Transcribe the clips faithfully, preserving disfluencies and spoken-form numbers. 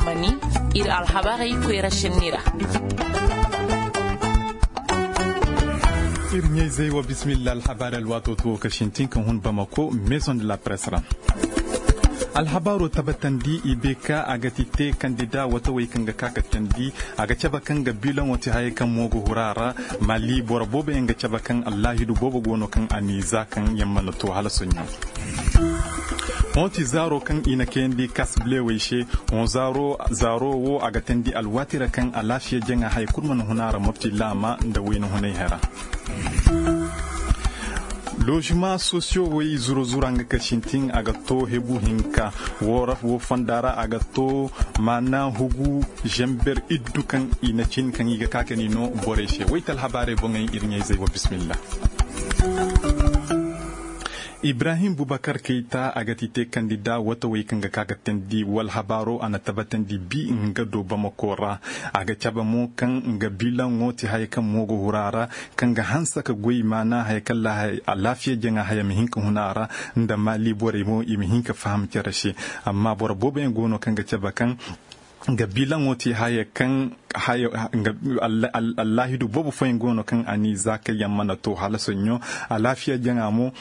Mani, iri alhabarey koyra senni ra. Iri ɲayzey wo, bismillah. Alhabarey alwaato to wo ka sintin ka hun Bamako, Maison de la Presse ra. Alhabaaro tabbatandi i be ka a ga ti te kandida wata way kaŋ ga ka ka tandi. A ga cabe kaŋ ga bilaŋo ti hayey kaŋ mo ga hura ra. Mali boro boobo yaŋ ga cabe kaŋ allaahidu boobo go no kaŋ a n'i za kaŋ yaŋ mana to hala soɲɲo. Hõ ti zaaro kaŋ i na kayandi kasblewey se. Hõ zaaro wo a ga tandi alwaati ra kaŋ alaafiya jaŋa haya kulu mana huna ra mopti laama nda wayna hunay hera. Lozuma sosiyo way zuro zura nga ka sintin a ga to hebu hinka. Wo fonda ra a ga to maana hugu zamber iddu kaŋ i na cin kaŋ i ga ka ka ni no borey se wayta alhabaarey boŋey iri ɲayzey wa bismillah. Ibrahim bubakar kayta a ga ti te kandida wata way kaŋ ga ka ga tandi wala habaaro a na tabbatandi bi nga do bamako ra. A ga cabe mo kaŋ nga bilaŋo ti haya kaŋ mo ga hura ra kaŋ ga hanse ka goy maana haya kaŋ alaafiya jaŋa haya ma hin ka huna a ra nda maali borey mo i ma hin ka faham care se. Amma boro boobo yaŋ go no kaŋ ga cabe kaŋ nga bilaŋo ti haya kaŋ allaahidu boobo fooyaŋ go no kaŋ a n'i za kaŋ yaŋ mana to hala soɲɲo. Alaafiya jaŋa mo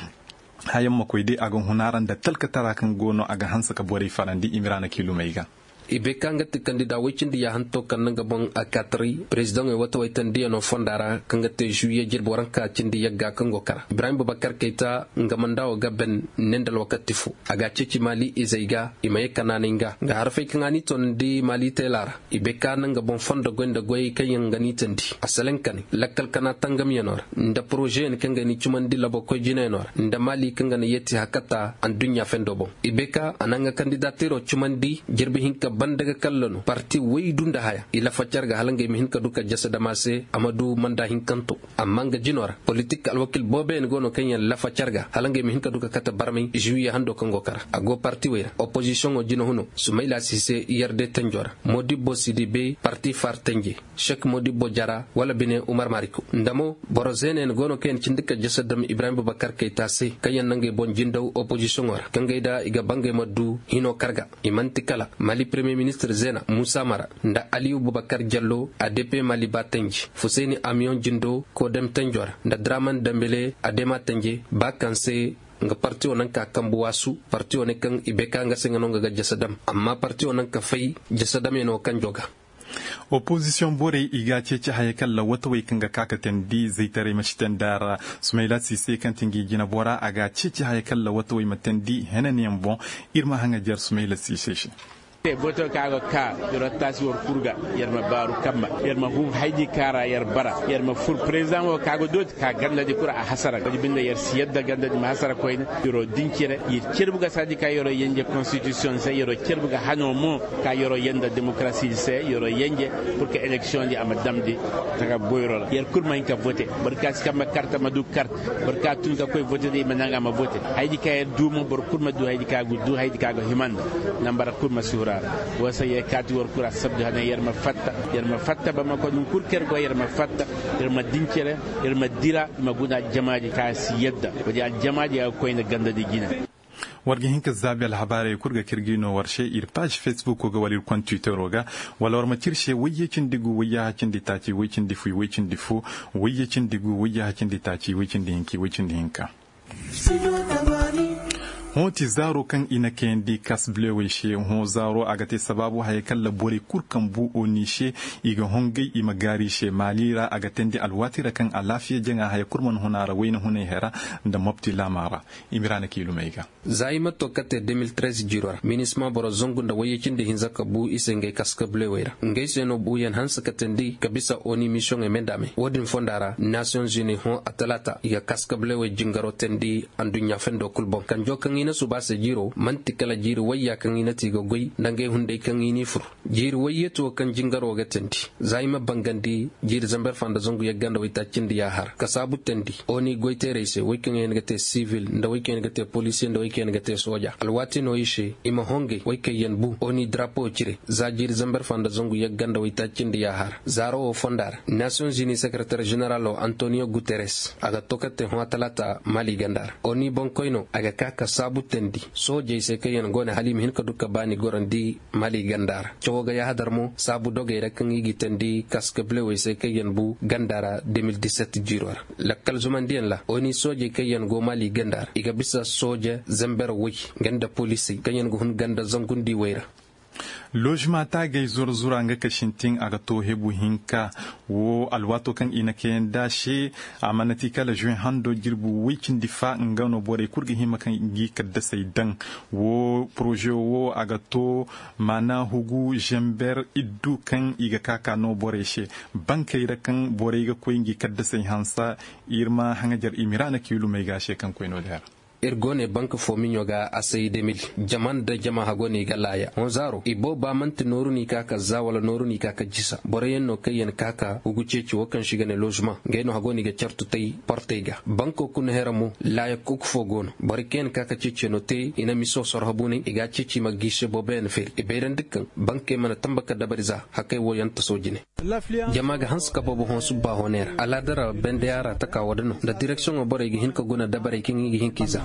hayaŋ ma koy day a ga huna ra nda talkatara kaŋ go no a ga hanse ka borey farandi i ma ra na kiilumey ga. I bay ka nga ti kandida way cindi yaahanto kaŋ na nga boŋ a kaataray perezidaŋey wata waytandiyaŋo fonda ra kaŋ ga te zuwiye jirbi waranka cindi yagga kaŋ go kara ibrahim bubakar kayta nga manda wo ga ben ne nda alwakati fo. A ga a ceeci maali izey ga i ma ye kanaanay nga nga harfey kaŋ a n'i toonandi maali teela ra. I bay ka na nga boŋ fondo goy nda goyey kaŋ yaŋ ga n'i tandi a salaŋ ka ne lakkal kana tangamyaŋo ra nda porozeyaŋ kaŋ ga n'i cumandi labokoy jinayaŋo ra nda maali kaŋ ga na yeeti hakata anduɲɲa fendo boŋ. I bay ka a na nga kandidateero cumandi jirbi hinka banda ga kalla no parti waydu nda haya i lafa care ga hala ngey ma hin ka du ka jasa dama se a ma du manda hinkanto. Amma nga jino ra politik alwakil booboyaŋ go no kaŋ yaŋ lafa care ga hala ngey ma hin ka du ka kate barmay zuwiye hando kaŋ go kara a go parti wey ra opozisiyoŋo jina huno sumayla si se yarde tanjo ra modibbo si di bay parti far tanje. Sek modibbo jara wala bine umar mariko nda mo boro zeenayaŋ go no kaŋ yaŋ cindi ka jasa dam ibrahim bubakar kayta se kaŋ yaŋ na ngey boŋ jindaw opozisiyoŋo ra kaŋ gay da i ga bangay ma du hino karga. I manti kala mali premier ministir zeena musa mara nda aliyu bubakar jallo a depe mali ba tanji fusayni amiyoŋ jindo kodem tanjo ra nda draman dambele a dema tanje ba kaŋ se nga partiyo naŋ ka kambu waasu partiyo ne kaŋ i bay ka nga se nga no nga ga jasa dam amma partiyo naŋ ka fay jasa damyaŋo kaŋ joga. Opozisiyoŋ borey i ga a ceeci haya kaŋ lawwata wey kaŋ ga ka ka teendi zaytaray ma si teendi a ra. Sumayla siise kaŋ ti ngi jinabora a ga a ceeci haya kaŋ lawwata wey ma teendi henanyaŋ boŋ. Iri ma haŋajer sumayla siise se. Te boto ka ga ka yer taasi war kurga yer ma baaru kamma yer ma hun haydi ka ra yer bara yer ma fur president wo ka ga dooti ka ganda di kura a hasara ko di binda yer si yadda ganda di ma hasara koyne. Yer dincire yer cerbu ga sadi ka yer yanje constitution se yer cerbu ga hano mo ka yer yanda démocratie se yer yanje. Pour que élection di a ma damdi taga boyro ra yer kulu ma hin ka vote. Boro ka si kamma karta ma du karta boro ka tun ka koy vote di ma nanga ma vote. Haydi ka yer du mo boro kulu ma du haydi ka ga du haydi ka ga himanda nambara kulu ma si hura ra. Wo se yer kaati war kulu a sabdu hane yer ma fatta yer ma fatta ba ma ko dun kulu ka yer go yer ma fatta yer ma dincire yer ma dira i ma guna aljamaaji ka si yadda. Wo di aljamaaji a ga koy nda ganda di jina. War ga hin ka zaabi alhabaarey kulu ga k'iri ga i no war se iri paazi facebook ga wala iri konda twittero ga wala war ma ci iri se wayye cindi gu wayyaha cindi taaci way cindi fu way cindi fu wayye cindi gu wayyaha cindi taaci way cindi hinka way cindi hinka. Hõ ti zaaro kaŋ i na kayandi kasblewey se hõ zaaro a ga te sabaabu hayey kaŋ ra borey kulu kaŋ bu oni se i ga hongay i ma gaari i se maali ra a ga teendi alwaati ra kaŋ alaafiya jaŋa haya kulu mana hun a ra wayna hunay hera nda mopti laama ra. I ma ira na kiilumey ga. Za i ma to ka te deux mille treize jiiro ra minisma boro zangu nda wayye cindi hinza ka bu i se ngey kaskablewey ra ngey se no buuyaŋ hanse ka teendi ka bisa oni misiyoŋey me nda me wo- din fonda ra nasiyoŋ zuni hõ a talaata i ga kaskablewey jingaro teendi anduɲɲa fendo kulu boŋ kanjo kaŋ i na suba se jiiro manti kala jiiri wayya kaŋ i na ti ga goy nda ngey hunday kaŋ i n'i fur. Jiiri wayyeeti wo kaŋ jingaro ga teendi za i ma bangandi jiiri zamber fa nda zangu yagga nda waytaaci nda yaahar kasaabu teendi oni goyteerey se wey kaŋ yaŋ ga te sibil nda wey kaŋ yaŋ ga te poliisiye nda wey kaŋ yaŋ ga te sooja alwaati no i se i ma hongay wey kaŋ yaŋ bu oni darapo cire za jiiri zamber fa nda zangu yagga nda waytaaci nda yaahar zaaro wo fonda ra nasiyoŋ zuni sekereter ženeralo antoniyo guteres a ga to ka te hõ talaata maali ganda ra oni boŋkoyno a ga ka ka Saabu tandi soojey se kaŋ yaŋ go no hala i ma hin ka du ka baani gorandi mali ganda ra. Cawo ga yaahadar mo saabu dogey ra kaŋ i ga i tandi kaska bilewey se kaŋ yaŋ bu ganda ra de mil disetti jiiro ra. Lakkal zumandiyaŋ ra oni soojey kaŋ yaŋ go mali ganda ra i ga bisa sooje zamber way, ganda poliisey kaŋ yaŋ ga hun ganda zangundi way ra. Lozima taagey zura zura nga ka sintin a ga to hebu hinka. Wo alwaato kaŋ i na kayandi a se a mana ti kala zuwe hando jirbi way cindi fa nga no borey kulu ga hima kaŋ i ga i kaddasey daŋ. Wo poroze wo a ga to maana hugu zamber iddu kaŋ i ga ka ka no borey se. Bankey ra kaŋ borey ga koy nga i kaddasey hansa. Iri ma haŋajar i ma iri a na kiilumey ga a se kaŋ koy no- din ra. Iri go ne banka fo miɲo ga a say demil. Jama nda jama hago no i ga laaya honzaaro i booba manti nooru no i ka ka za wala nooru no i ka ka jisa boro yaŋ no kaŋ yaŋ ka ka hugu ceeci wo kaŋ se i ga ne lozuma ngey no hago no i ga cartu tay portey ga. Banko kuna hera mo laaya kuku fo go no boro kaŋ yaŋ ka ka ceeci no te i na miso sorho bunay i ga a ceeci i ma ga i se boobo yaŋ feeri i bayrandi kaŋ bankey mana tamba ka dabari za hakay wo yaŋ taso jine. Jama ga hanse ka boobo hõ subbaaho neera alaada ra bendaya ra taka wo- din no nda direksiyoŋo borey ga hin ka guna dabarey kaŋ i ga hin ka i za.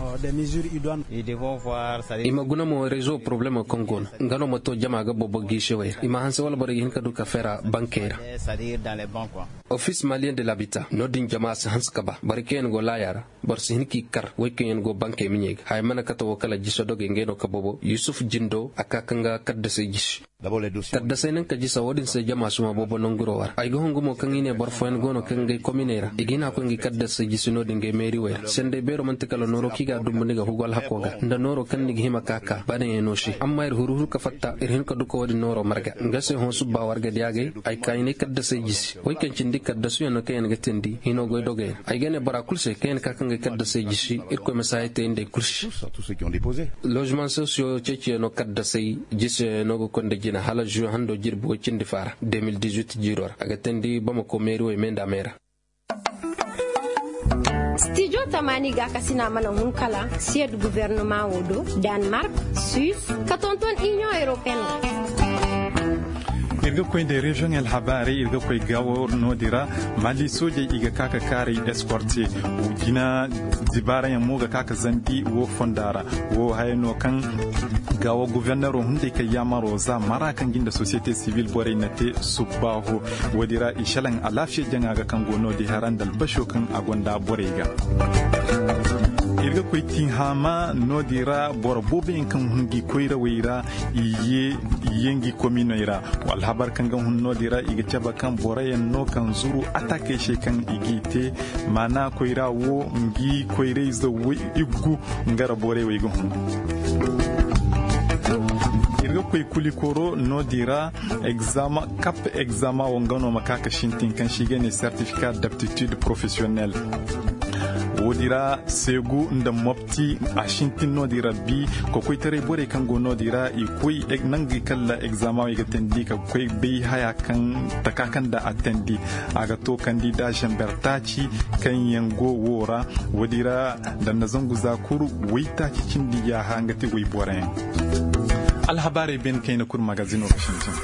I ma guna mo rezo porobalemo kaŋ go no nga no ma to jama ga boobo giisewey ra i ma hanse wala borey ga hin ka du kafe ra bankey ra. Ofis maliyen de labita no- din jama si hanse ka ba borey kaŋ yaŋ go laaya ra. Boro si hin ka i kar wey kaŋ yaŋ go bankey miɲey ga haya mana kate wo kala jisa dogey ngey no ka boobo yusuf jindo a ka ka nga kaddasey jisi. Kaddasey naŋ ka jisa wo- din se jama suma boobo nanguro war ay ga hungu mo kaŋ i ne boro fooyaŋ go no kaŋ ngey kominey ra i ga hin a koy nga kaddasey jisi no- din ngey meeri wey ra senday beero manti kala nooro kaŋ i ga dumbu ni ga hugu alhako ga nda nooro kaŋ ni ga hima ka ka baanayaŋ no se amma iri huru huru ka fatta iri hin ka duka wo- din nooro marga nga se hõ subba warga diya gay. Ay ka i ne kaddasey jisi wey kaŋ cindi kaddasu yaŋ no kaŋ yaŋ ga tindi hino goy dogey ra ay ga ne bora kulu se kaŋ yaŋ ka kaŋ ga kaddasey jisi irkoy ma si hayey te nda ay kulu se. Lozimaŋ sosiyo ceeciyaŋo kaddasey jisiyaŋo ga konda jina hala zu hando jirbi way cindi faara de mil dizuit jiiro ra a ga teendi bamako meeri way me nda a me ra. Stijo tamaani gaakasina mana hun kala siyed guvernama wo do, danmark, suisse, ka tonton inion europeen ra. Iri ga koy nda reziyoŋ alhabaarey iri ga koy gaawo no- din ra. Mali soojey i ga ka ka kaaray eskorte jina dibaarayaŋ mo ga ka ka zambi wo fonda ra. Wo haya no kaŋ gaawo guvernero hunday kaŋ yaamaro za mara kaŋ ga nda sosiyete sibil borey na te subbaaho. Wo- din ra i salaŋ alaafiya jaŋa ga kaŋ go no- din hara nda albasho kaŋ a gonda borey ga. Iri ga koy tinhaama no- din ra boro boobo yaŋ kaŋ hun ga i koyrawey ra i ye ngi kominey ra. Alhabar kaŋ ga hun no- din ra i ga cabe kaŋ boro yaŋ no kaŋ zuru atakey se kaŋ i g'i te maana koyra wo ngi koyrayze iggu nga ra borey wo i ga hun. Iri ga koy kulikoro no- din ra. Kap egzama wo nga no ma ka ka sintin kaŋ se i ga ne certificat d'aptitude professionnelle. Wo- din ra seegu nda mopti a sintin no- din ra bi kokoytaray borey kaŋ go no- din ra i koy nangey kala egzama wo i ga teendi ka koy bay haya kaŋ taka kaŋ nda a teendi a ga to kandida zamber taaci kaŋ yaŋ go wo ra. Wo- din ra danda zangu za kulu waytaaci cindi yaaha nga te wayboroyaŋ. Alhabaarey beene kaŋ i na kulu magazino ga sintin.